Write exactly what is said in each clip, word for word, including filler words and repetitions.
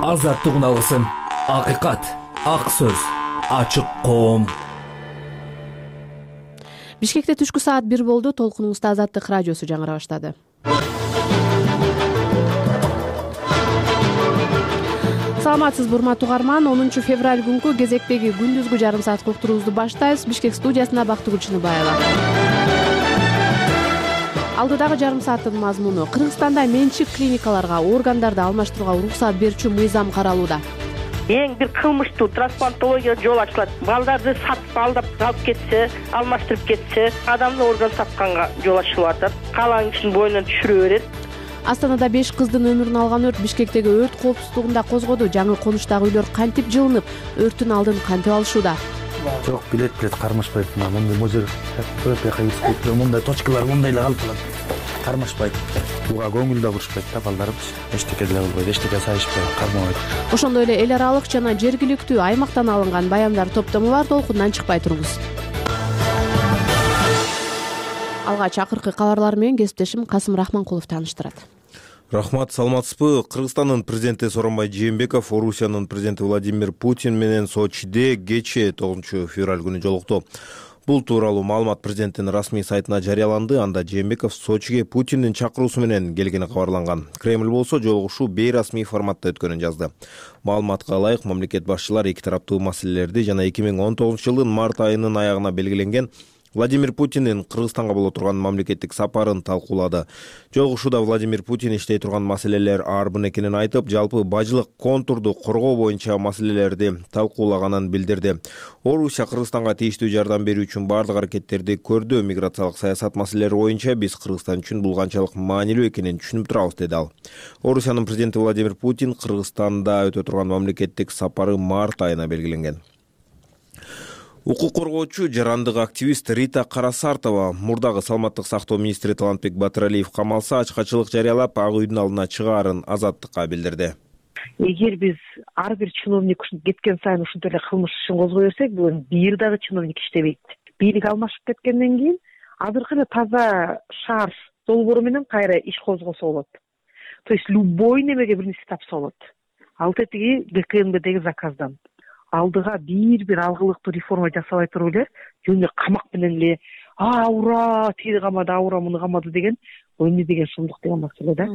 Азаттык алгысың, акыйкат, ак сөз, ачык коом. Бишкекте түшкү саат бир болду. Толкунуңузда Азаттык радиосу жаңыра баштады. Саламатсызбы урматтуу угарман. онунчу февраль күнкү кезектеги күндүзгү жарым саат уктуруубузду баштайбыз. Бишкек студиясында Бактыгүл Чыныбаева. Алдыдагы жарым сааттын мазмуну: Кыргызстанда менчик клиникаларга органдарды алмаштырууга уруксат берүүчү мыйзам каралууда. Эң бир кылмыштуу трансплантология жол ачылат. Балдарды сатып алдап алып кетсе, алмаштырып кетсе, адамды орган сатканга жол ачылып атат. Калаң ишин боюнан түшүрө берет. Астанада беш кыздын өмүрүн алган өрт Бишкектеги өрт коопсуздугунда козгоду. Жаңы конуштагы үйлөр кантип жылынып, өрттүн алдын кантип алышууда? Жок, билет билет кармашпайт. Мындай мозер өпөкка киришпейт. Мындай точкалар мындай эле калып калат. Кармашпайт. Буга көңүл да бурушпайт да балдарыбыз. Эчтеке деле кылбайт, эчтеке сайышпайт, кармабайт. Ошондой эле эл аралык жана жергиликтүү аймактан алынган баяндар топтому бар. Толкундан чыкпай туруңуз. Алгач акыркы кабарлар менен кесиптешим Касым Рахманкулов тааныштырат. Рахмат, саламатсызбы? Кыргызстандын президенти Сооронбай Жээнбеков Орусиянын президенти Владимир Путин менен Сочиде кечээ тогузунчу февраль күнү жолукту. Бул тууралуу маалымат президенттин расмий сайтына жарыяланды. Анда Жээнбеков Сочиге Путиндин чакыруусу менен келгени кабарланган. Кремль болсо жолугушуу бейрасмий форматта өткөнүн жазды. Маалыматка ылайык, мамлекет башчылары эки тараптуу маселелерди жана эки миң он тогузунчу жылдын март айынын аягына белгиленген Владимир Путиндин Кыргызстанга боло турган мамлекеттик сапарын талкуулады. Жолугушууда Владимир Путин иштей турган маселелер арбын экенин айтып, жалпы бажылык контурду коргоо боюнча маселелерди талкуулаганын билдирди. Орусия Кыргызстанга тийиштүү жардам берүү үчүн бардык аракеттерди көрдү. Миграциялык саясат маселелери боюнча биз Кыргызстан үчүн бул канчалык маанилүү экенин түшүнүп турабыз, деди ал. Орусиянын президенти Владимир Путин Кыргызстанда өтө турган мамлекеттик сапары март айына белгиленген. Укук коргоочу, жарандык активист Рита Карасартова мурдагы саламаттык сактоо министри Талантбек Батыралиев камалса, ачкачылык жарыялап, ак үйдүн алдына чыгаарын Азаттыкка билдирди. Эгер биз ар бир чиновник кеткен сайын ушундай эле кылмыш ишин козгой берсек, бүгүн бир дагы чиновник иштебейт. Бийлик алмашып кеткенден кийин азыркы эле таза шаар долбоору менен кайра иш козгосо болот. То есть любой немеге бир нерсе тапса болот. Ал тетиги ГКМБдеги заказдан. Алдыга бир-бир алгылыктуу реформа жасабай туруп эле жөн эле камак менен эле а ура тиги камады, аура муну камады деген эмне деген сумдук деген маселе да.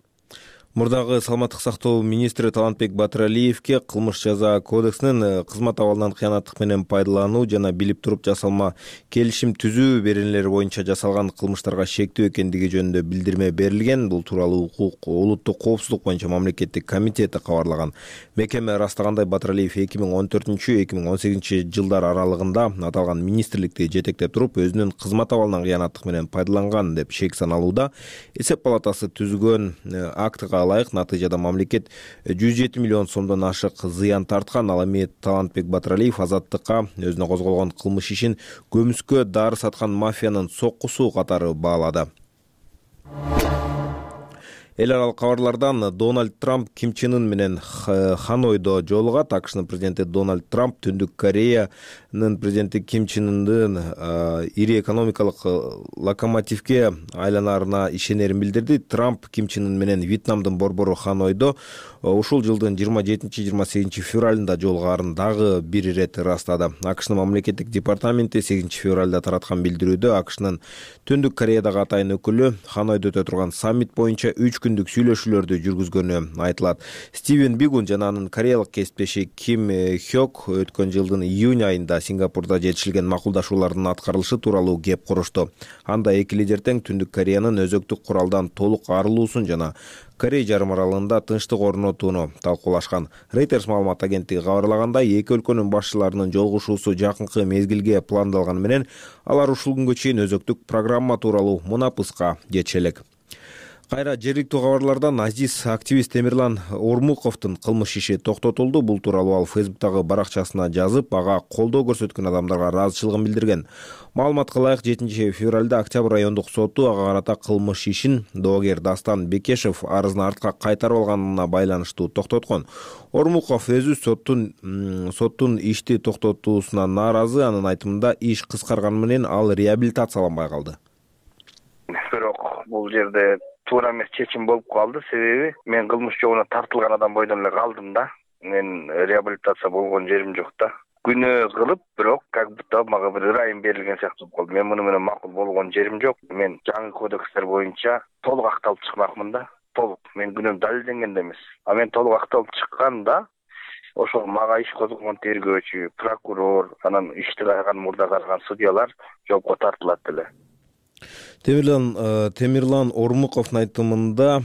Мурдагы саламаттык сактоо министри Талантбек Батыралиевке кылмыш жаза кодексинин кызмат абалынан кыянаттык менен пайдалануу жана билип туруп жасалма келишим түзүү беренелери боюнча жасалган кылмыштарга шектүү экендиги жөнүндө билдирме берилген. Бул тууралуу укук улуттук коопсуздук боюнча мамлекеттик комитети кабарлаган. Мекеме ырастагандай, Батыралиев эки миң он төртүнчү эки миң он сегизинчи жылдар аралыгында аталган министрликти жетектеп туруп, өзүнүн кызмат абалынан кыянаттык менен пайдаланган деп шек саналууда. Эсеп палатасы түзгөн актыга ылайык натыйжада мамлекет жүз жети миллион сомдон ашык зыян тарткан. Ал эми Талантбек Батыралиев Азаттыкка өзүнө козголгон кылмыш ишин көмүскө дары саткан мафиянын соккусу катары баалады. Эл аралык кабарлардан: Дональд Трамп Ким Чен Ын менен Ханойдо жолугат. АКШнын президенти Дональд Трамп Түндүк Кореянын президенти Ким Чен Ындын ири экономикалык локомотивке айланаарына ишенерин билдирди. Трамп Ким Чен Ын менен Вьетнамдын борбору Ханойдо ушул жылдын жыйырма жетинчи жыйырма сегизинчи февралында жолугаарын дагы бир ирет ырастады. АКШнын мамлекеттик департаменти сегизинчи февралда тараткан билдирүүдө АКШнын Түндүк Кореядагы атайын өкүлү Ханойдо өтө турган саммит боюнча үч күндүк сүйлөшүүлөрдү жүргүзгөнү айтылат. Стивен Бигун жана анын кореялык кесиптеши Ким Хёк өткөн жылдын июнь айында Сингапурда жетишилген макулдашуулардын аткарылышы тууралуу кеп курушту. Анда эки лидер тең Түндүк Кореянын өзөктүк куралдан толук арылуусун жана Корей жарым аралында тынчтык орнотууну талкуулашкан. Reuters маалымат агенттиги кабарлагандай, эки өлкөнүн башчыларынын жолугушуусу жакынкы мезгилге пландалганы менен алар ушул күнгө чейин өзөктүк программа тууралуу мунапыска жетише элек. Кайра жергиликтүү кабарлардан: Азиз активист Темирлан Ормуковдун кылмыш иши токтотулду. Бул тууралуу ал Фейсбуктагы баракчасына жазып, ага колдоо көрсөткөн адамдарга ыраазычылыгын билдирген. Маалыматка ылайык, жетинчи февралда Октябрь райондук соту ага карата кылмыш ишин доогер Дастан Бекешев арызын артка кайтарып алганына байланыштуу токтоткон. Ормуков өзү соттун соттун ишти токтотуусуна нааразы. Анын айтымында, иш кыскарганы менен ал реабилитацияланбай калды. Бирок бул жерде туура эмес чечим болуп калды. Себеби мен кылмыш жолуна тартылган адам бойдон эле калдым да. мен реабилитация болгон жерим жок да. Күнөө кылып, бирок как будто мага бир ырайым берилген сыяктуу болду. Мен муну менен макул болгон жерим жок. Мен жаңы кодекстер боюнча толук акталып чыкмакмын да. Толук. Мен күнөөм далилденген да эмес. А мен толук акталып чыкканда ошол мага иш козгогон тергөөчү, прокурор, анан ишти караган, мурда караган судьялар жоопко тартылат эле. Темирлан Темирлан Ормуковдун айтымында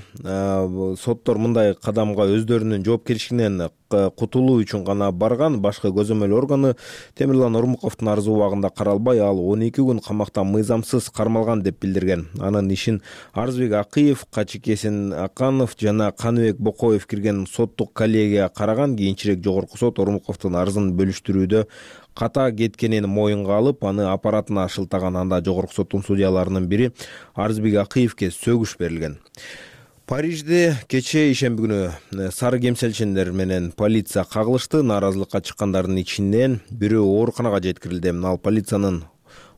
соттор мындай кадамга өздөрүнүн жоопкерчилигинен кутулуу үчүн гана барган. Башкы көзөмөл органы Темирлан Ормуковдун арызы убагында каралбай, ал он эки күн камакта мыйзамсыз кармалган деп билдирген. Анын ишин Арызбек Акыев, Качыкесин Аканов жана Каныбек Бокоев кирген соттук коллегия караган. Кийинчерээк жогорку сот Ормуковдун арызын бөлүштүрүүдө ката кеткенин моюнга алып, аны аппаратына шылтаган. Анда жогорку соттун судьяларынын бири Арызбек Акыевке сөгүш берилген. Парижде кечээ ишемби күнү сары кемселчендер менен полиция кагылышты. Нааразылыкка чыккандардын ичинен бирөө ооруканага жеткирилди. Ал полициянын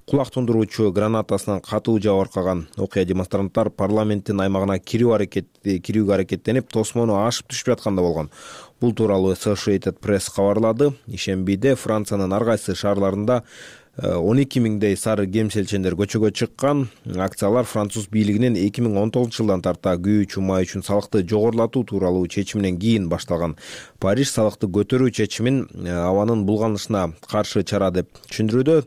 кулак тундуруучу гранатасынан катуу жабыркаган. Окуя демонстранттар парламенттин аймагына кирүү аракет кирүүгө аракеттенип, тосмону ашып түшүп жатканда болгон. Бул тууралуу Associated Press кабарлады. Ишембиде Франциянын ар кайсы шаарларында он эки миңдей сары кемселчендер көчөгө чыккан. Акциялар француз бийлигинин эки миң он тогузунчу жылдан тарта күйүү чумай үчүн салыкты жогорулатуу тууралуу чечиминен кийин башталган. Париж салыкты көтөрүү чечимин абанын булганышына каршы чара деп түшүндүрүүдө.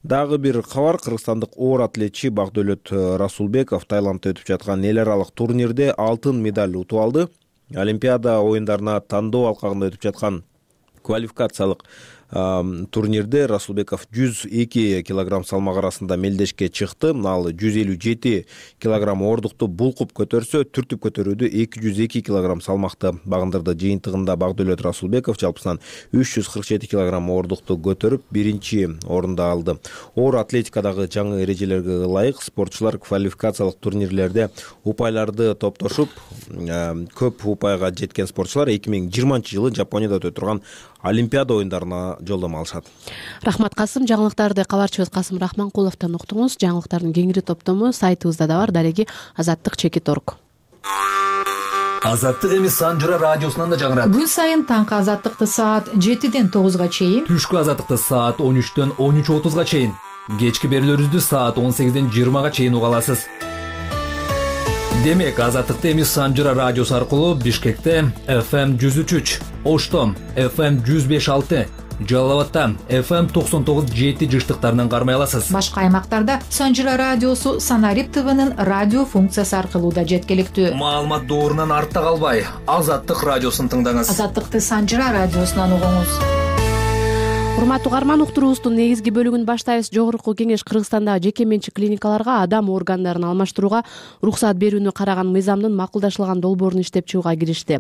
Дагы бир кабар: кыргызстандык оор атлетчи Бакдөөлөт Расулбеков Таиландда өтүп жаткан эл аралык турнирде алтын медаль утуп алды. Олимпиада оюндарына тандоо алкагында өтүп жаткан квалификациялык турнирде Расулбеков жүз эки килограмм салмак арасында мелдешке чыкты. Ал жүз элүү жети килограмм ордукту булкуп көтөрсө, түртүп көтөрүүдө эки жүз эки килограмм салмакты багындырды. Жыйынтыгында Бакдөөлөт Расулбеков жалпысынан үч жүз кырк жети килограмм ордукту көтөрүп биринчи орунду алды. Оор атлетикадагы жаңы эрежелерге ылайык спортчулар квалификациялык турнирлерде упайларды топтошуп, көп упайга жеткен спортчулар эки миң жыйырманчы жылы Жапонияда өтө турган Олимпиада оюндарына жолдомо алышат. Рахмат Касым. Жаңылыктарды кабарчыбыз Касым Рахманкуловдон уктуңуз. Жаңылыктардын кеңири топтому сайтыбызда да бар. Дареги азаттык чекит орг. Азаттык эми Санжыра радиосунан да жаңырат. Күн сайын таңкы азаттыкты саат жетиден тогузга чейин, түшкү азаттыкты саат он үчтөн он үч отузга чейин, кечки берүүлөрүбүздү саат он сегизден жыйырмага чейин уга аласыз. Демек, азаттыкты эми Санжыра радиосу аркылуу Бишкекте эф эм жүз үч үч, Ошто эф эм жүз беш алты, Жалал абадта эф эм токсон тогуз жети жыштыктарынан кармай аласыз. Башка аймактарда Санжыра радиосу Санарип ТВнын радио функциясы аркылуу да жеткиликтүү. Маалымат доорунан артта калбай, Азаттык радиосун тыңдаңыз. Азаттыкты Санжыра радиосунан угуңуз. Урматтуу угарман, уктуруубуздун негизги бөлүгүн баштайбыз. Жогорку кеңеш Кыргызстандагы жеке менчик клиникаларга адам органдарын алмаштырууга уруксат берүүнү караган мыйзамдын макулдашылган долбоорун иштеп чыгууга киришти.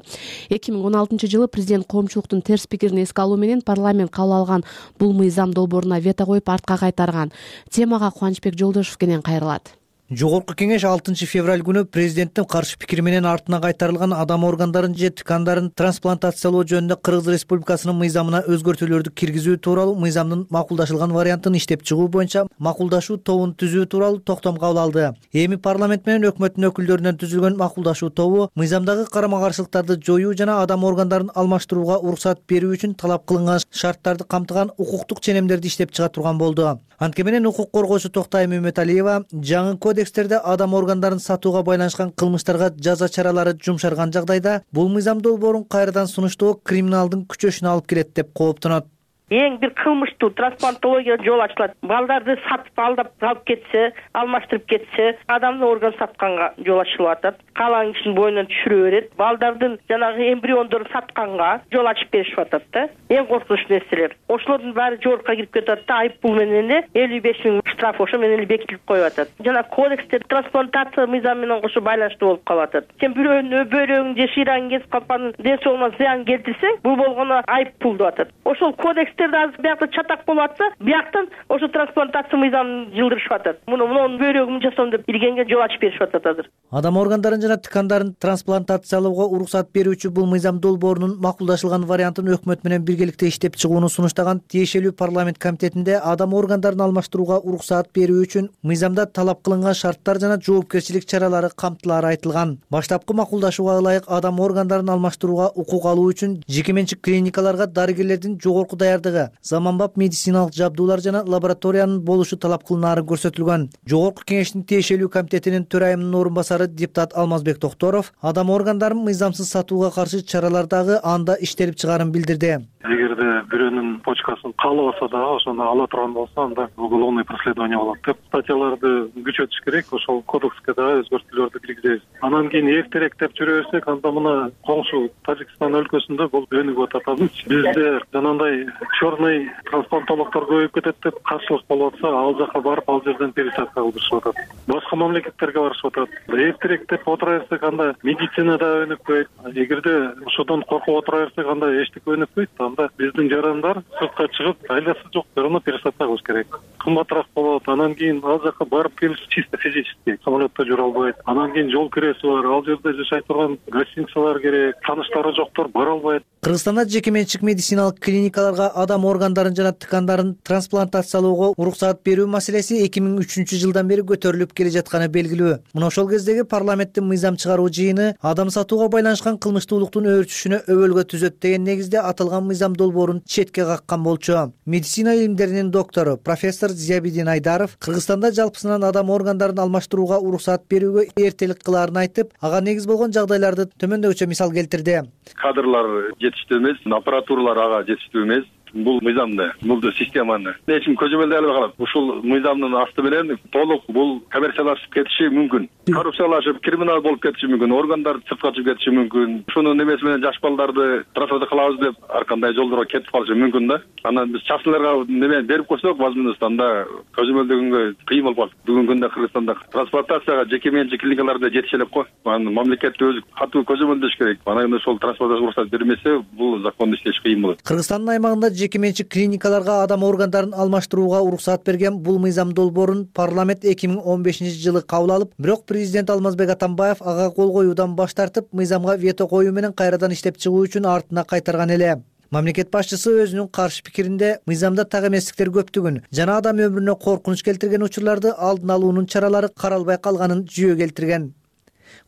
эки миң он алтынчы жылы президент коомчулуктун терс пикирин эске алуу менен парламент кабыл алган бул мыйзам долбооруна вето коюп артка кайтарган. Темага Кубанычбек Жолдошев кенен кайрылат. Жогорку кеңеш алтынчы февраль күнү президенттин каршы пикири менен артына кайтарылган адам органдарын же ткандарын трансплантациялоо жөнүндө Кыргыз Республикасынын мыйзамына өзгөртүүлөрдү киргизүү тууралуу мыйзамдын макулдашылган вариантын иштеп чыгуу боюнча макулдашуу тобун түзүү тууралуу токтом кабыл алды. Эми парламент менен өкмөттүн өкүлдөрүнөн түзүлгөн макулдашуу тобу мыйзамдагы карама-каршылыктарды жоюу жана адам органдарын алмаштырууга уруксат берүү үчүн талап кылынган шарттарды камтыган укуктук ченемдерди иштеп чыга турган болду. Анткени менен укук коргоочу Токтай Мөмөталиева жаңы кодекстерде адам органдарын сатууга байланышкан кылмыштарга жаза чаралары жумшарган жагдайда бул мыйзам долбоорун кайрадан сунуштоо криминалдын күчөшүнө алып келет деп кооптонот. Эң бир кылмыштуу трансплантология жол ачылат. Балдарды сатып алдап алып кетсе, алмаштырып кетсе, адамдын орган сатканга жол ачылып атат. Калаң ишин боюнан түшүрө берет. Балдардын жанагы эмбриондорун сатканга жол ачып беришип атат да. Эң коркунучтуу нерселер. Ошолордун баары жорукка кирип кетет да, айып пул менен эле элүү беш миң штраф ошо менен эле бекитилип коюп атат. Жана кодексте трансплантация мыйзамы менен кошо байланыштуу болуп калып атат. Сен бирөөнүн өбөлөң же шыйраңын кесип калып анын ден соолугуна зыян келтирсең, бул болгону айып пул деп атат. Ошол кодекс кишилерде азыр биякта чатак болуп атса, бияктан ошо трансплантация мыйзамын жылдырышып атат. Муну мунун бөйрөгүн жасоом деп илгенге жол ачып беришип атат азыр. Адам органдарын жана ткандарын трансплантациялоого уруксат берүүчү бул мыйзам долбоорунун макулдашылган вариантын өкмөт менен биргеликте иштеп чыгууну сунуштаган тиешелүү парламент комитетинде адам органдарын алмаштырууга уруксаат берүү үчүн мыйзамда талап кылынган шарттар жана жоопкерчилик чаралары камтылаары айтылган. Баштапкы макулдашууга ылайык адам органдарын алмаштырууга укук алуу үчүн жеке менчик клиникаларга дарыгерлердин жогорку даярдыгы, заманбап медициналык жабдуулар жана лабораториянын болушу талап кылынаары көрсөтүлгөн. Жогорку кеңештин тиешелүү комитетинин төрайымынын орун басары депутат Алмазбек Токторов адам органдарын мыйзамсыз сатууга каршы чаралар дагы анда иштелип чыгаарын билдирди. Эгерде бирөөнүн почкасын каалабаса дагы ошону ала турган болсо, анда уголовный преследование болот деп статьяларды күчөтүш керек. Ошол кодекске дагы өзгөртүүлөрдү киргизебиз. Анан кийин эртерээк деп жүрө берсек, анда мына коңшу Тажикстан өлкөсүндө бул өнүгүп атат. Бизде жанагындай черный трансплантологдор көбөйүп кетет деп каршылык болуп атса, ал жака барып ал жерден пересадка кылдырышып атат. Башка мамлекеттерге барышып атат. Эртерээк деп отура берсек, анда медицина да өнүкпөйт. Эгерде ошодон коркуп отура берсек, анда эчтеке өнүкпөйт. Анда биздин жарандар сыртка чыгып, айласы жок жерине пересадка кылыш керек. Кымбатыраак болот. Анан кийин ал жака барып келиш чисто физически самолетто жүрө албайт. Анан кийин жол киреси бар. Ал жерде жашай турган гостиницалар керек. Тааныштары жоктор бара албайт. Кыргызстанда жеке менчик медициналык клиникаларга адам органдарын жана ткандарын трансплантациялоого уруксаат берүү маселеси эки миң үчүнчү жылдан бери көтөрүлүп келе жатканы белгилүү. Мына ошол кездеги парламенттин мыйзам чыгаруу жыйыны адам сатууга байланышкан кылмыштуулуктун өөрчүшүнө өбөлгө түзөт деген негизде аталган мыйзам долбоорун четке каккан болчу. Медицина илимдеринин доктору профессор Зиябидин Айдаров Кыргызстанда жалпысынан адам органдарын алмаштырууга уруксаат берүүгө эртелик кылаарын айтып, ага негиз болгон жагдайларды төмөндөгүчө мисал келтирди. Кадрлар жетиштүү эмес, аппаратуралар ага жетиштүү эмес. Бул мыйзамды, бул системаны эч ким көзөмөлдөй албай калат. Ушул мыйзамдын асты менен толук бул коммерциялашып кетиши мүмкүн. Коррупциялашып, криминал болуп кетиши мүмкүн, органдар сыртка чыгып кетиши мүмкүн. Ушунун эмеси менен жаш балдарды трансплантация кылабыз деп ар кандай жолдорго кетип калышы мүмкүн да. Анан биз частныйларга неме берип койсок, возможность анда көзөмөлдөгөнгө кыйын болуп калат. Бүгүнкү күндө Кыргызстанда трансплантацияга жеке менчик клиникаларда жетише элек го. Анан мамлекет өзү катуу көзөмөлдөш керек. Анан ошол трансплантация уруксат бермесе, бул законду иштеш кыйын болот. Кыргызстандын аймагында жеке менчик клиникаларга адам органдарын алмаштырууга уруксаат берген бул мыйзам долбоорун парламент эки миң он бешинчи жылы кабыл алып, бирок президент Алмазбек Атамбаев ага кол коюудан баш тартып, мыйзамга вето коюу менен кайрадан иштеп чыгуу үчүн артына кайтарган эле. Мамлекет башчысы өзүнүн каршы пикиринде мыйзамда так эместиктер көптүгүн жана адам өмүрүнө коркунуч келтирген учурларды алдын алуунун чаралары каралбай калганын жүйө келтирген.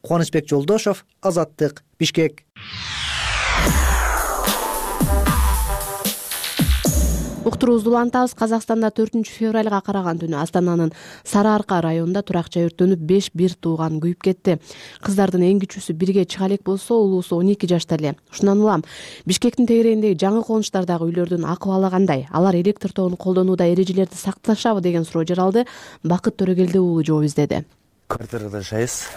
Кубанычбек Жолдошов, Азаттык, Бишкек. Уктуруубузду улантабыз. Казакстанда төртүнчү февралга караган түнү Астананын Сары Арка районунда турак жай өрттөнүп, беш бир тууган күйүп кетти. Кыздардын эң кичүүсү бирге чыга элек болсо, улуусу он эки жашта эле. Ушундан улам Бишкектин тегерегиндеги жаңы конуштардагы үйлөрдүн акыбалы кандай? Алар электр тогун колдонууда эрежелерди сакташабы деген суроо жаралды. Бакыт Төрөгелди уулу жооп издеди. Квартирада жашайбыз.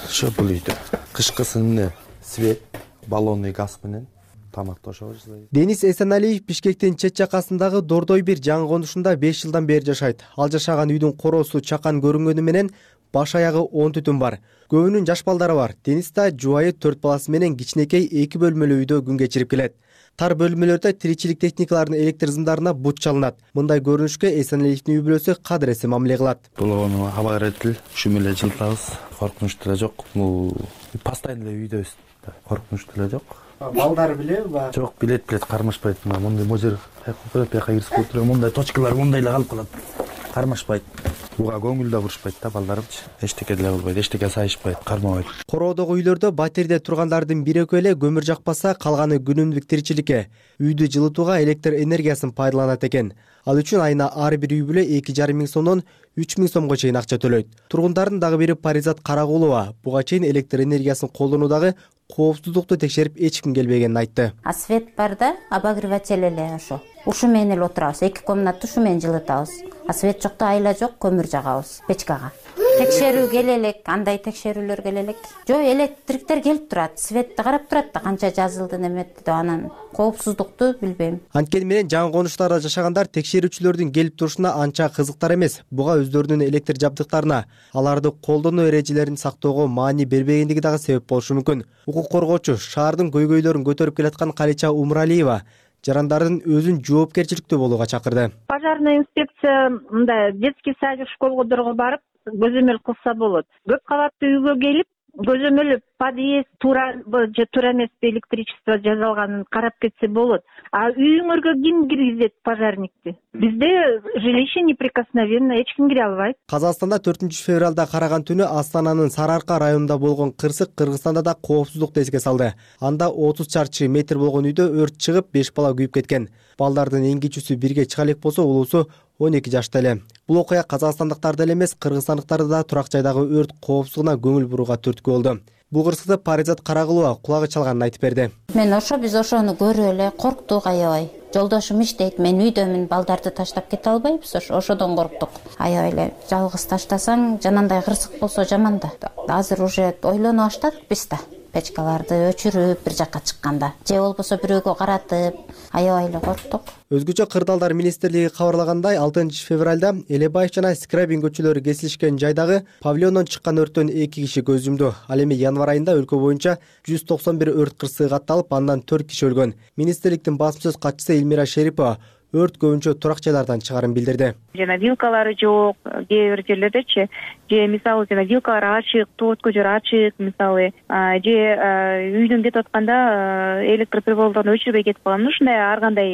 Ошо бул үйдө кышкысын свет, баллонный газ менен тамакташабыз. Денис Эсеналиев Бишкектин чет жакасындагы Дордой бир жаңы конушунда беш жылдан бери жашайт. Ал жашаган үйдүн короосу чакан көрүнгөнү менен баш аягы он түтүн бар. Көбүнүн жаш балдары бар. Денис да жубайы төрт баласы менен кичинекей эки бөлмөлүү үйдө күн кечирип келет. Тар бөлмөлөрдө тиричилик техникаларынын электр сымдарына бут чалынат. Мындай көрүнүшкө Эсеналиевдин үй бүлөсү кадыресе мамиле кылат. Бул абагыретил ушу менен жылытабыз. Коркунуч деле жок. Бул постоянно эле үйдөбүз. Коркунуч деле жок. Балдар билеби? Жок, билет билет кармашпайт. Мындай мозер бияка кирсип отуруп, мындай точкалар мындай эле калып калат. Кармашпайт. Буга көңүл да бурушпайт да балдарымчы. Эчтеке деле болбойт, эчтеке сайышпайт, кармабайт. Короодогу үйлөрдө батирде тургандардын бир экөө эле көмүр жакпаса, калганы күнүмдүк тиричиликке, үйдү жылытууга электр энергиясын пайдаланат экен. Ал үчүн айына ар бир үй бүлө эки жарым миң сомдон үч миң сомго чейин акча төлөйт. Тургундардын дагы бири Паризат Карагулова буга чейин электр энергиясын колдонуудагы коопсуздукту текшерип эч ким келбегенин айтты. А свет бар да, обогреватель эле ошо. Ушу менен эле отурабыз, эки комнатты ушу менен жылытабыз. А свет жокто айла жок, көмүр жагабыз печкага. Текшерүү келе элек, андай текшерүүлөр келе элек. Жок, электриктер келип турат, светти карап турат да, канча жазылды неметти деп, анан коопсуздукту билбейм. Анткени менен жаңы конуштарда жашагандар текшерүүчүлөрдүн келип турушуна анча кызыктар эмес. Буга өздөрүнүн электр жабдыктарына, аларды колдонуу эрежелерин сактоого маани бербегендиги дагы себеп болушу мүмкүн. Укук коргоочу, шаардын көйгөйлөрүн көтөрүп келаткан Калича Умралиева жарандардын өзүн жоопкерчиликтүү болууга чакырды. Пожарный инспекция мындай детский садик, школдорго барып көзөмөл кылса болот. Көп кабаттуу үйгө келип көзөмөл подъезд туура же туура эмеспи, электричество жасалганын карап кетсе болот. А үйүңөргө ким киргизет пожарникти? Бизде жилище неприкосновенно, эч ким кире албайт. Казакстанда төртүнчү февралда караган түнү Астананын Сары Арка районунда болгон кырсык Кыргызстанда да коопсуздукту эске салды. Анда отуз чарчы метр болгон үйдө өрт чыгып, беш бала күйүп кеткен. Балдардын эң кичүүсү бирге чыга элек болсо, улуусу он эки жашта эле. Бул окуя казакстандыктарды эле эмес, кыргызстандыктарды да турак жайдагы өрт коопсуздугуна көңүл бурууга түрткү болду. Бул кырсыкты Паризат Карагулова кулагы чалганын айтып берди. Мен ошо биз ошону көрүп эле корктук аябай. Жолдошум иштейт, мен үйдөмүн, балдарды таштап кете албайбыз, ошодон корктук. Аябай эле жалгыз таштасаң, жанагындай кырсык болсо жаман да. Азыр уже ойлоно баштадык биз да. Печкаларды өчүрүп бир жакка чыкканда, же болбосо бирөөгө каратып, аябай эле корктук. Өзгөчө Кырдаалдар министрлиги кабарлагандай, алтынчы февралда Элебаев жана Скрябин көчөлөрү кесилишкен жайдагы павильондон чыккан өрттөн эки киши көз жумду. Ал эми январь айында өлкө боюнча жүз токсон бир өрт кырсыгы катталып, андан төрт киши өлгөн. Министрликтин басым сөз катчысы Элмира Шерипова өрт көбүнчө турак жайлардан чыгарын билдирди. Жана вилкалары жок, кээ бир жерлердечи, же мисалы жана вилкалар ачык, тоот көчөр ачык, мисалы, же үйдөн кетип атканда электр прибордорун өчүрбөй кетип калган. Ушундай ар кандай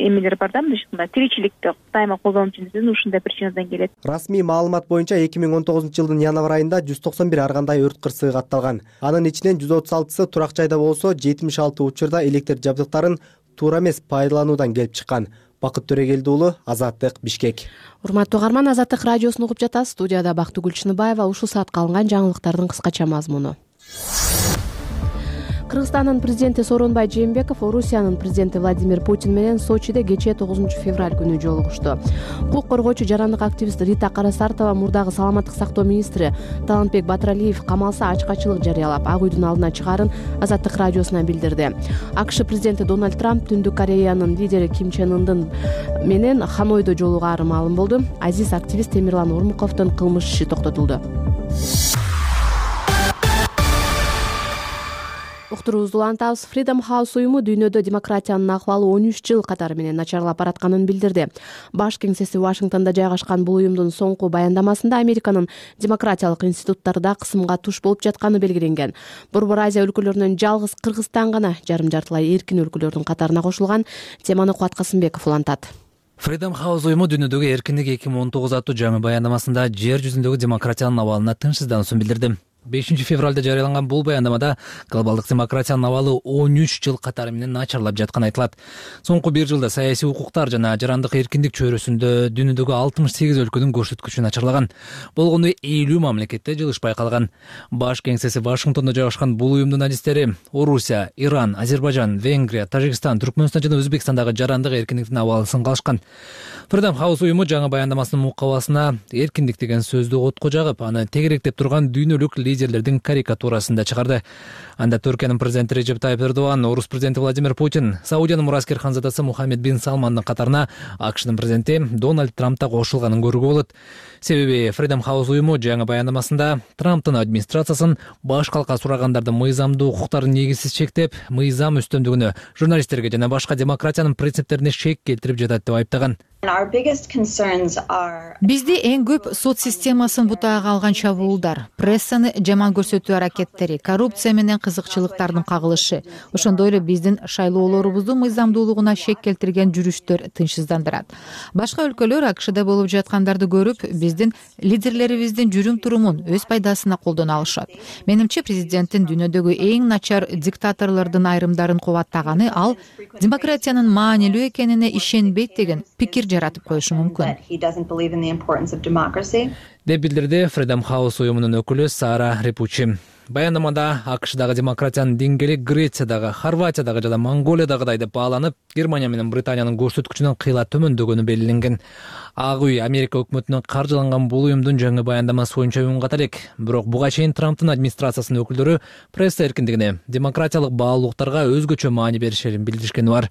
эмелер бар да, мындай тиричиликти дайыма колдонуу үчүн ушундай причинадан келет. Расмий маалымат боюнча эки миң он тогузунчу жылдын январь айында жүз токсон бир ар кандай өрт кырсыгы катталган. Анын ичинен жүз отуз алтысы турак жайда болсо, жетимиш алты учурда электр жабдыктарын туура эмес пайдалануудан келип чыккан. Бакыт Төрөгелди уулу, Азаттык, Бишкек. Урматтуу угарман, Азаттык радиосун угуп жатасыз. Студияда Бактыгүл Чыныбаева. Ушул саатка алынган жаңылыктардын кыскача мазмуну. Кыргызстандын президенти Сооронбай Жээнбеков Орусиянын президенти Владимир Путин менен Сочиде кечээ тогузунчу февраль күнү жолугушту. Укук коргоочу жарандык активист Рита Карасартова мурдагы саламаттык сактоо министри Талантбек Батыралиев камалса ачкачылык жарыялап, Ак үйдүн алдына чыгаарын Азаттык радиосуна билдирди. АКШ президенти Дональд Трамп Түндүк Кореянын лидери Ким Чен Ындын менен Ханойдо жолугаары маалым болду. Азиз активист Темирлан Ормуковдун кылмыш иши токтотулду. Уктуруубузду улантабыз. Freedom House уюму дүйнөдө демократиянын акыбалы он үч жыл катары менен начарлап баратканын билдирди. Баш кеңсеси Вашингтондо жайгашкан бул уюмдун соңку баяндамасында Американын демократиялык институттарда кысымга туш болуп жатканы белгиленген. Борбор Азия өлкөлөрүнөн жалгыз Кыргызстан гана жарым жартылай эркин өлкөлөрдүн катарына кошулган. Теманы Кубат Касымбеков улантат. Freedom House уюму дүйнөдөгү эркиндик эки миң он тогуз аттуу жаңы баяндамасында жер жүзүндөгү демократиянын абалына тынчсыздануусун билдирди. бешинчи февралда жарыяланган бул баяндамада глобалдык демократиянын абалы он үч жыл катары менен начарлап жатканы айтылат. Соңку бир жылда саясий укуктар жана жарандык эркиндик чөйрөсүндө дүйнөдөгү алтымыш сегиз өлкөнүн көрсөткүчү начарлаган. Болгону элүү мамлекетте жылыш байкалган. Баш кеңсеси Вашингтондо жайгашкан бул уюмдун адистери Орусия, Иран, Азербайжан, Венгрия, Тажикстан, Түркмөнстан жана Өзбекстандагы жарандык эркиндиктин абалын калышкан. Freedom House уюму жаңы баяндамасынын мукабасына эркиндик деген сөздү отко жагып, аны тегеректеп турган дүйнөлүк лидерлердин карикатурасын да чыгарды. Анда Түркиянын президенти Режеп Тайып Эрдоган, Орус президенти Владимир Путин, Саудиянын мураскер ханзадасы Мухаммед бин Салмандын катарына АКШнын президенти Дональд Трамп да кошулганын көрүүгө болот. Себеби Freedom House уюму жаңы баяндамасында Трамптын администрациясын баш калка сурагандардын мыйзамдуу укуктарын негизсиз чектеп, мыйзам үстөмдүгүнө, журналисттерге жана башка демократиянын принциптерине шек келтирип жатат деп айыптаган. Бизди эң көп сот системасын бутаага алган чабуулдар, прессаны жаман көрсөтүү аракеттери, коррупция менен кызыкчылыктардын кагылышы, ошондой эле биздин шайлоолорубуздун мыйзамдуулугуна шек келтирген жүрүштөр тынчсыздандырат. Башка өлкөлөр АКШда болуп жаткандарды көрүп, биздин лидерлерибиздин жүрүм-турумун өз пайдасына колдоно алышат. Менимче, президенттин дүйнөдөгү эң начар диктаторлордун айрымдарын кубаттаганы ал демократиянын маанилүү экенине ишенбейт деген пикир жаратып коюшу мүмкүн деп билдирди Freedom House уюмунун өкүлү Сара Репучи. Баяндамада АКШдагы демократиянын деңгээли Грециядагы, Хорватиядагы жана Монголиядагыдай деп бааланып, Германия менен Британиянын көрсөткүчүнөн кыйла төмөндөгөнү белгиленген. Ак үй Америка өкмөтүнүн каржыланган бул уюмдун жаңы баяндамасы боюнча үн ката элек. Бирок буга чейин Трамптын администрациясынын өкүлдөрү пресса эркиндигине, демократиялык баалуулуктарга өзгөчө маани беришерин билдиришкени бар.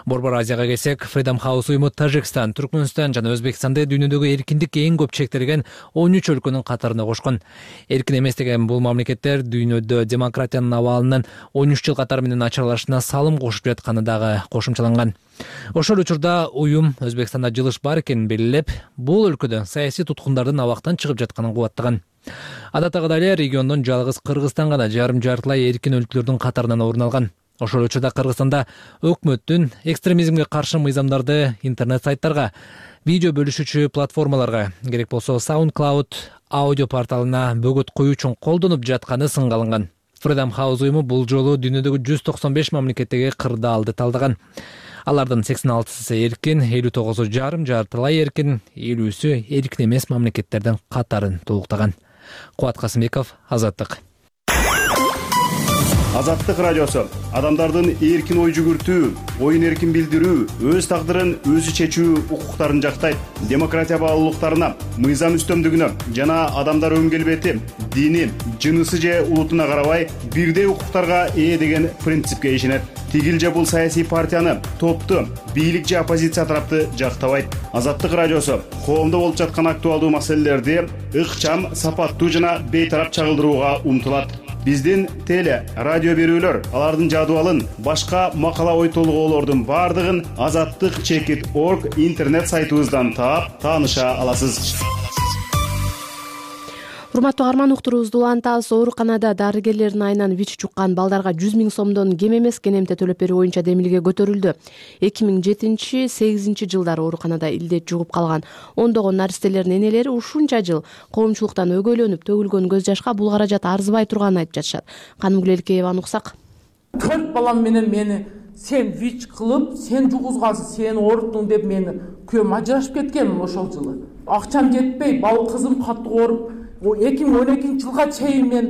Борбор Азияга келсек, Freedom House уюму Тажикстан, Түркмөнстан жана Өзбекстанды дүйнөдөгү эркиндик эң көп чектелген он үч өлкөнүн катарына кошкон. Эркин эмес деген бул мамлекеттер дүйнөдө демократиянын абалынын он үч жыл катары менен начарлашына салым кошуп жатканы дагы кошумчаланган. Ошол учурда уюм Өзбекстанда жылыш бар экенин белгилеп, бул өлкөдө саясий туткундардын абактан чыгып жатканын кубаттаган. Адаттагыдай эле региондон жалгыз Кыргызстан гана жарым жартылай эркин өлкөлөрдүн катарынан орун алган. Ошол учурда Кыргызстанда өкмөттүн экстремизмге каршы мыйзамдарды интернет сайттарга, видео бөлүшүүчү платформаларга, керек болсо SoundCloud аудио порталына бөгөт коюу үчүн колдонуп жатканы сынга алынган. Freedom House уюму бул жолу дүйнөдөгү жүз токсон беш мамлекеттеги кырдаалды талдаган. Алардын сексен алтысы эркин, элүү тогузу жарым жартылай эркин, элүүсү эркин эмес мамлекеттердин катарын толуктаган. Кубат Касымбеков, Азаттык. Азаттык радиосу адамдардын эркин ой жүгүртүү, оюн эркин билдирүү, өз тагдырын өзү чечүү укуктарын жактайт. Демократия баалуулуктарына, мыйзам үстөмдүгүнө жана адамдар өн келбети, дини, жынысы же улутуна карабай бирдей укуктарга ээ деген принципке ишенет. Тигил же бул саясий партияны, топту, бийлик же оппозиция тарапты жактабайт. Азаттык радиосу коомдо болуп жаткан актуалдуу маселелерди ыкчам, сапаттуу жана бейтарап чагылдырууга умтулат. Биздин теле, радио берүүлөр, алардын жадыбалын, башка макала ой толгоолордун бардыгын азаттык чекит орг интернет сайтыбыздан таап, тааныша аласыз. Урматтуу каарман, уктуруубузду улантабыз. Ооруканада дарыгерлердин айынан ВИЧ жуккан балдарга жүз миң сомдон кем эмес кенемте төлөп берүү боюнча демилге көтөрүлдү. эки миң жетинчи сегизинчи жылдары ооруканада илдет жугуп калган ондогон наристелердин энелери ушунча жыл коомчулуктан өгөйлөнүп төгүлгөн көз жашка бул каражат арзыбай турганын айтып жатышат. Канымгүл Элкееваны уксак. Төрт балам менен мени сен ВИЧ кылып, сен жугузгансың, сен ооруттуң деп мени күйөөм ажырашып кеткен ошол жылы. Акчам жетпей, бал кызым катуу ооруп, эки миң он экинчи жылга чейин мен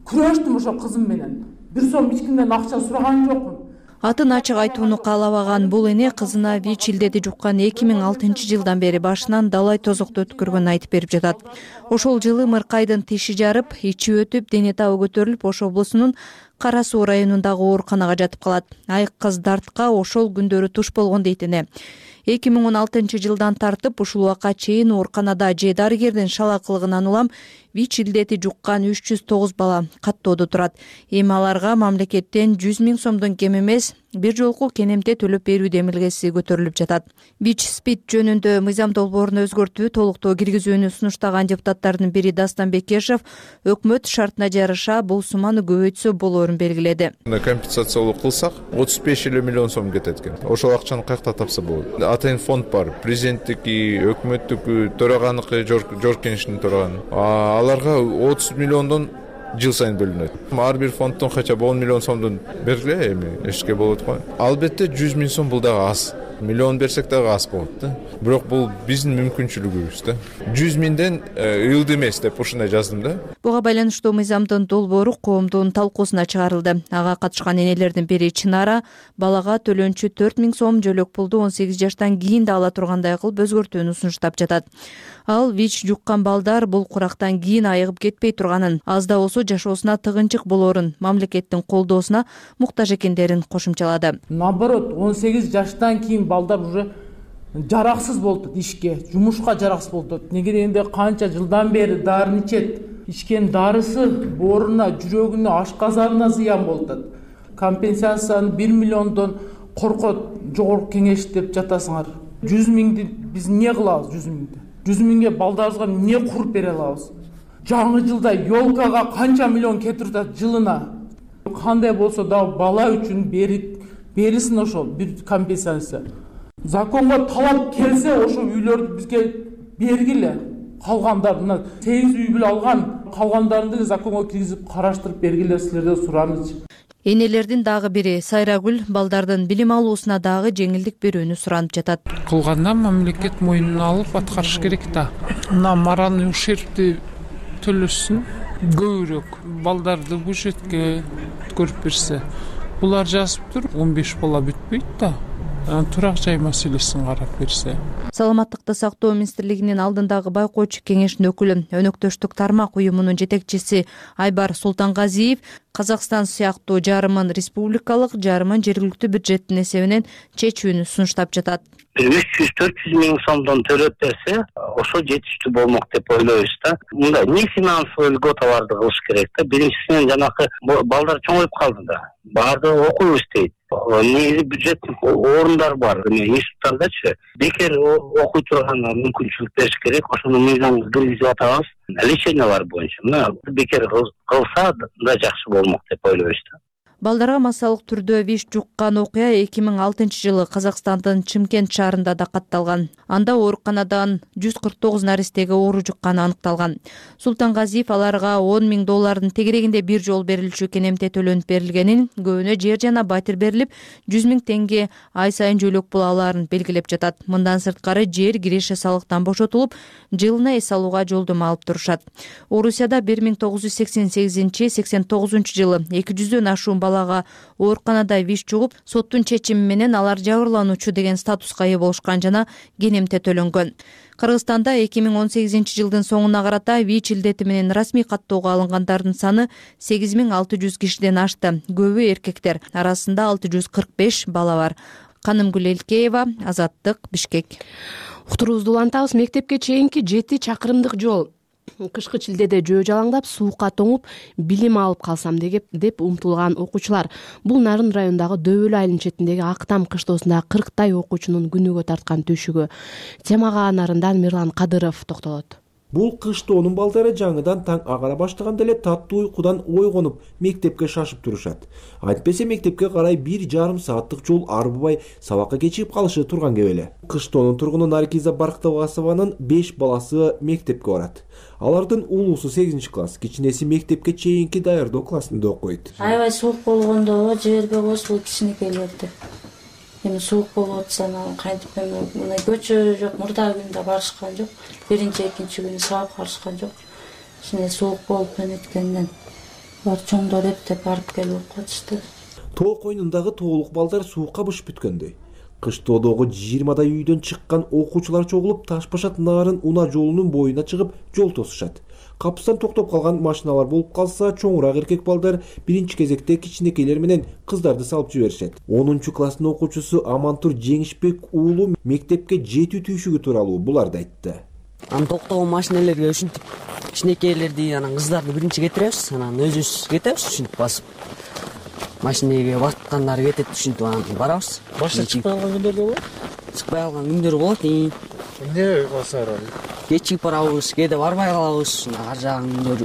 күрөштүм ошол кызым менен. Бир сом эч кимден акча сураган жокмун. Атын ачык айтууну каалабаган бул эне кызына ВИЧ илдети жуккан эки миң алтынчы жылдан бери башынан далай тозокту өткөргөнүн айтып берип жатат. Ошол жылы Мыркайдын тиши жарып, ичи өтүп, дене табы көтөрүлүп, Ош облусунун Кара Суу районундагы ооруканага жатып калат. Айык кыз дартка ошол күндөрү туш болгон дейт эне. эки миң он алтынчы жылдан тартып ушул убакка чейин ооруканада же дарыгердин шалакылыгынан улам ВИЧ илдети жуккан үч жүз тогуз бала каттоодо турат. Эми аларга мамлекеттен жүз миң сомдон кем эмес бир жолку кенемте төлөп берүү демилгеси көтөрүлүп жатат. ВИЧ СПИД жөнүндө мыйзам долбоорун өзгөртүү, толуктоо киргизүүнү сунуштаган депутаттардын бири Дастан Бекешев өкмөт шартына жараша бул сумманы көбөйтсө болоорун белгиледи. Компенсациялоо кылсак отуз беш элүү миллион сом кетет экен. Ошол акчаны каякта тапса болот. Атайын фонд бар. Президенттики, өкмөттүкү, төраганыкы, Жор Кеңештин төраганы. Аларга отуз миллиондон жыл сайын бөлүнөт. Ар бир фонддон хотя бы он миллион сомдон бергиле, эми эшке болот го. Албетте жүз миң сом бул дагы аз. Миллион берсек дагы аз болот да. Бирок бул биздин мүмкүнчүлүгүбүз да. жүз миңден ылды эмес деп ушундай жаздым да. Буга байланыштуу мыйзамдын долбоору коомдун талкуусуна чыгарылды. Ага катышкан энелердин бири Чынара балага төлөнчү төрт миң сом, жөлөк пулду он сегиз жаштан кийин да ала тургандай кылып өзгөртүүнү сунуштап жатат. Ал ВИЧ жуккан балдар бул курактан кийин айыгып кетпей турганын, аз да болсо жашоосуна тыгынчык болоорун, мамлекеттин колдоосуна муктаж экендерин кошумчалады. Наоборот, он сегиз жаштан кийин балдар уже жараксыз болду ишке, жумушка жараксыз болду. Неге дегенде канча жылдан бери дарын ичет. Ичкен дарысы бооруна, жүрөгүнө, ашказанына зыян болду. Компенсацияны бир миллиондон коркот жогорку кеңеш деп жатасыңар. жүз миңди биз эмне кылабыз жүз миңди? жүз миңге балдарыбызга эмне куруп бере алабыз? Жаңы жылда ёлкага канча миллион кетирип атат жылына. Кандай болсо да бала үчүн берилсин ошол бир компенсация. Законго талап келсе ошол үйлөрдү бизге бергиле. Калгандар мына сегиз үй бүлө алган, калгандарын законго киргизип караштырып бергиле, силерден сурамыз. Энелердин дагы бири Сайрагүл балдардын билим алуусуна дагы жеңилдик берүүнү суранып жатат. Кылганда мамлекет мойнуна алып аткарыш керек да. Мына моральный ущербти төлөсүн, көбүрөөк балдарды бюджетке көрүп берсе. Булар жазып тур, он беш бала бүтпөйт да. Турак жай маселесин карап берсе. Саламаттыкты сактоо министрлигинин алдындагы байкоочу кеңештин өкүлү, өнөктөштүк тармак уюмунун жетекчиси Айбар Султангазиев Казакстан сыяктуу жарымын республикалык, жарымын жергиликтүү бюджеттин эсебинен чечүүнү сунуштап жатат. үч жүз төрт жүз миң сомдон төлөп берсе, ошо жетиштүү болмок деп ойлойбуз да. Мында не финансовый льготаларды кылыш керек да. Биринчисинен жанакы балдар чоңоюп калды да. Баардыгы окуу иштейт. негизи бюджет орундар бар институттардачы бекер окуй турганга мүмкүнчүлүк бериш керек. Ошону мыйзамга киргизип атабыз. Лечениялар боюнча мына бекер кылса да жакшы болмок деп ойлойбуз да. Балдарга массалык түрдө виш жуккан окуя эки миң алтынчы жылы Казакстандын Чымкент шаарында да катталган. Анда ооруканадан жүз кырк тогуз наристеге оору жукканы аныкталган. Султангазиев аларга он миң доллардын тегерегинде бир жолу берилчү кенемте төлөнүп берилгенин, көбүнө жер жана батир берилип, жүз миң теңге ай сайын жөлөк пул алаарын белгилеп жатат. Мындан сырткары жер киреше салыктан бошотулуп, жылына эс алууга жолдомо алып турушат. Орусияда бир миң тогуз жүз сексен сегизинчи сексен тогузунчу жылы эки жүздөн ашуун балага ооруканада виш жугуп, соттун чечими менен алар жабырлануучу деген статуска ээ болушкан жана кенемте төлөнгөн. Кыргызстанда эки миң он сегизинчи жылдын соңуна карата ВИЧ илдети менен расмий каттоого алынгандардын саны сегиз миң алты жүз кишиден ашты. Көбү эркектер, арасында алты жүз кырк беш бала бар. Канымгүл Элкеева, Азаттык, Бишкек. Уктурубузду улантабыз. Мектепке чейинки жети чакырымдык жол кышкы чилдеде жөө жалаңдап, суукка тоңуп, билим алып калсам деп умтулган окуучулар. Бул Нарын районундагы Дөбөлү айылынын четиндеги Актам кыштоосундагы кырктай окуучунун күнүгө тарткан түшүгү. Темага Нарындан Мирлан Кадыров токтолот. Бул кыштоонун балдары жаңыдан таң агара баштаганда эле таттуу уйкудан ойгонуп, мектепке шашып турушат. Айтпесе мектепке карай бир жарым сааттык жол арбыбай сабакка кечигип калышы турган кеп эле. Кыштоонун тургуну Наргиза Барктабасованын беш баласы мектепке барат. Алардын улуусу сегизинчи класс, кичинеси мектепке чейинки даярдоо классында окуйт. Аябай суук болгондо жибербейбиз бул кичинекейлерди. Эми суук болуп атса, кантип эми мына көчө жок, мурдагы күндө барышкан жок. Биринчи, экинчи күнү сабакка барышкан жок. Ушуна суук болуп өткөндөн бар чоңдор эптеп барып келип окуп атышты. Тоо койнундагы тоолук балдар суукка бышып бүткөндөй. Кыштоодогу жыйырмадай үйдөн чыккан окуучулар чогулуп, Таш-Башат Нарын унаа жолунун боюна чыгып, жол тосушат. Капыстан токтоп калган машиналар болуп калса, чоңураак эркек балдар биринчи кезекте кичинекейлер менен кыздарды салып жиберишет. онунчу класстын окуучусу Амантур Жеңишбек уулу мектепке жетүү түйшүгү тууралуу буларды айтты. Анан токтогон машинелерге ушинтип кичинекейлерди, анан кыздарды биринчи кетиребиз, анан өзүбүз кетебиз ушинтип басып. Машинеге баскандары кетет, ушинтип анан барабыз. Башка чыкпай калган күндөр да болот? Чыкпай калган күндөр болот. Эмне басаар? Кечигип барабыз, кээде барбай калабыз, ар жагын күндөр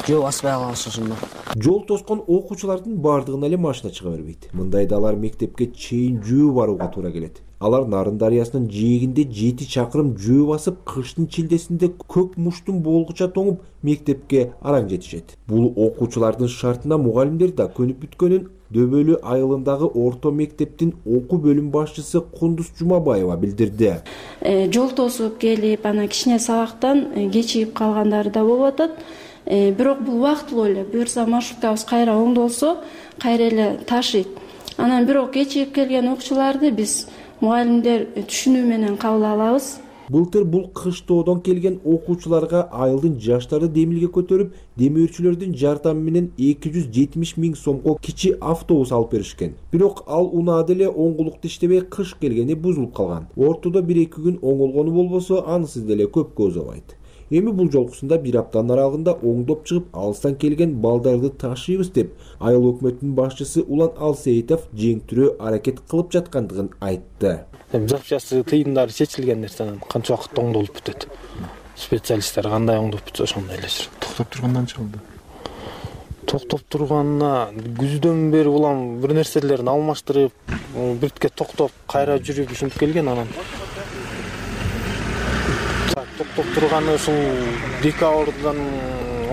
жөө баспай калабыз ошондо. Жол тоскон окуучулардын бардыгына эле машина чыга бербейт. Мындайда алар мектепке чейин жөө барууга туура келет. Алар Нарын дарыясынын жээгинде жети чакырым жөө басып, кыштын чилдесинде көк муштун болгуча тоңуп, мектепке араң жетишет. Бул окуучулардын шартына мугалимдер да көнүп бүткөнүн Дөбөлү айылындагы орто мектептин окуу бөлүм башчысы Кундуз Жумабаева билдирди. Жол тосуп келип, анан кичине сабактан кечигип калгандары да болуп атат. Бирок бул убактылуу эле. Буюрса маршруткабыз кайра оңдолсо, кайра эле ташыйт. Анан бирок кечигип келген окуучуларды биз мугалимдер түшүнүү менен кабыл алабыз. Былтыр бул кыштоодон келген окуучуларга айылдын жаштары демилге көтөрүп, демөөрчүлөрдүн жардамы менен эки жүз жетимиш миң сомго кичи автобус алып беришкен. Бирок ал унаада эле оңгулукта иштебей, кыш келгени бузулуп калган. Ортодо бир-эки күн оңолгону болбосо, анысыз деле көпкө узабайт. Эми бул жолкусунда бир аптанын аралыгында оңдоп чыгып, алыстан келген балдарды ташыйбыз деп, айыл өкмөтүнүн башчысы Улан Алсейитов жеңтүрөө аракет кылып жаткандыгын айтты. Жапчасы тыйымдары чечилген нерсенен канча убакытта оңдолуп бүтөт. Специалисттер кандай оңдоп бүтсө ошондой эле жүрөт. Токтоп тургандан чыгылды. Токтоп турганына күздөн бери улам бир нерселерин алмаштырып, биртке токтоп, кайра жүрүп ушинтип келген анан. Токтоп турганы ушул декабрдын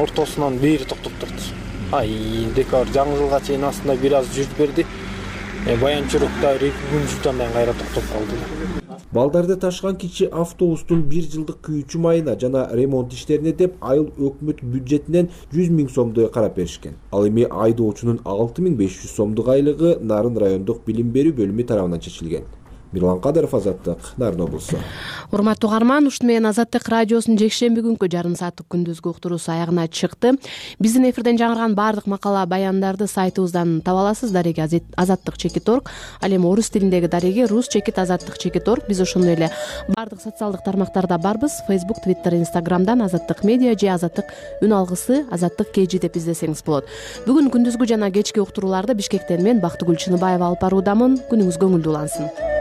ортосунан бери токтоп турду. Ай, декабр жаңы жылга чейин астында бир аз жүрүп берди. Баянчурукта эки күн жүрдөн кийин кайра токтоп калды. Балдарды ташыган кичи автобустун бир жылдык күйүүчү майына жана ремонт иштерине деп айыл өкмөт бюджетинен жүз миң сомду карап беришкен. Ал эми айдоочунун алты миң беш жүз сомдук айлыгы Нарын райондук билим берүү бөлүмү тарабынан чечилген. Мирлан Кадыров, Азаттык, Нарын облусу. Урматтуу угарман, ушуну менен Азаттык радиосунун жекшемби күнкү жарым сааттык күндүзгү уктуруусу аягына чыкты. Биздин эфирден жаңырган баардык макала баяндарды сайтыбыздан таба аласыз. Дареги азаттык чекит орг. Ал эми орус тилиндеги дареги рус чекит азаттык чекит орг. Биз ошондой эле баардык социалдык тармактарда барбыз. Facebook, Twitter, Instagram'дан Азаттык медиа же Азаттык үн алгысы Азаттык кей жи деп издесеңиз болот. Бүгүн күндүзгү жана кечки уктурууларды Бишкектен мен Бактыгүл Чыныбаева алып баруудамын. Күнүңүз көңүлдүү улансын.